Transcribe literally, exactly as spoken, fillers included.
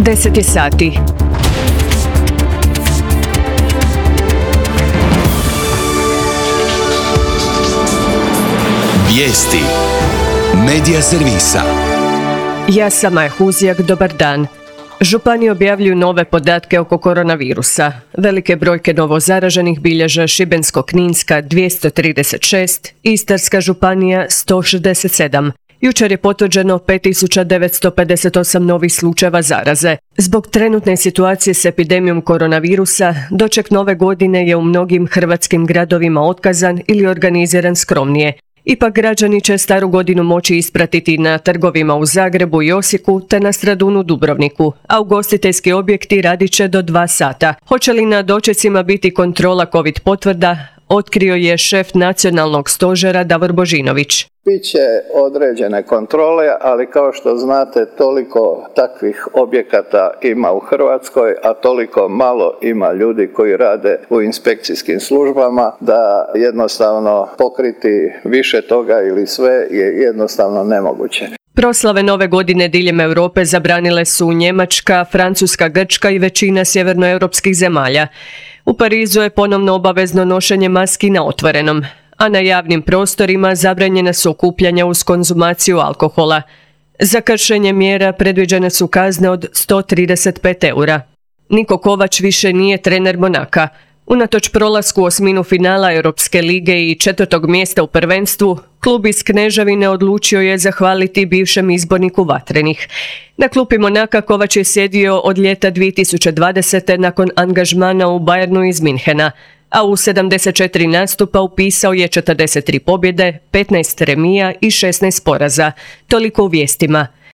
deset je sati. Vijesti Medija servisa. Ja sam Maja Huzijak, dobar dan. Županije objavljuju nove podatke oko koronavirusa. Velike brojke novozaraženih bilježe Šibensko-kninska dvjesto trideset šest, Istarska županija sto šezdeset sedam. Jučer je potvrđeno pet tisuća devetsto pedeset osam novih slučajeva zaraze. Zbog trenutne situacije s epidemijom koronavirusa, doček nove godine je u mnogim hrvatskim gradovima otkazan ili organiziran skromnije. Ipak građani će staru godinu moći ispratiti na trgovima u Zagrebu i Osijeku te na Stradunu Dubrovniku, a ugostiteljski objekti radit će do dva sata. Hoće li na dočecima biti kontrola COVID potvrda, otkrio je šef nacionalnog stožera Davor Božinović. Biće određene kontrole, ali kao što znate, toliko takvih objekata ima u Hrvatskoj, a toliko malo ima ljudi koji rade u inspekcijskim službama, da jednostavno pokriti više toga ili sve je jednostavno nemoguće. Proslave nove godine diljem Europe zabranile su Njemačka, Francuska, Grčka i većina sjevernoeuropskih zemalja. U Parizu je ponovno obavezno nošenje maski na otvorenom, a na javnim prostorima zabranjena su okupljanja uz konzumaciju alkohola. Za kršenje mjera predviđene su kazne od sto trideset pet eura. Niko Kovač više nije trener Monaka. Unatoč prolasku u osminu finala Europske lige i četvrtog mjesta u prvenstvu, klub iz Kneževine odlučio je zahvaliti bivšem izborniku Vatrenih. Na klupi Monaka Kovač je sjedio od ljeta dvije tisuće dvadesete nakon angažmana u Bayernu iz Minhena, a u sedamdeset četiri nastupa upisao je četrdeset tri pobjede, petnaest remija i šesnaest poraza. Toliko u vijestima.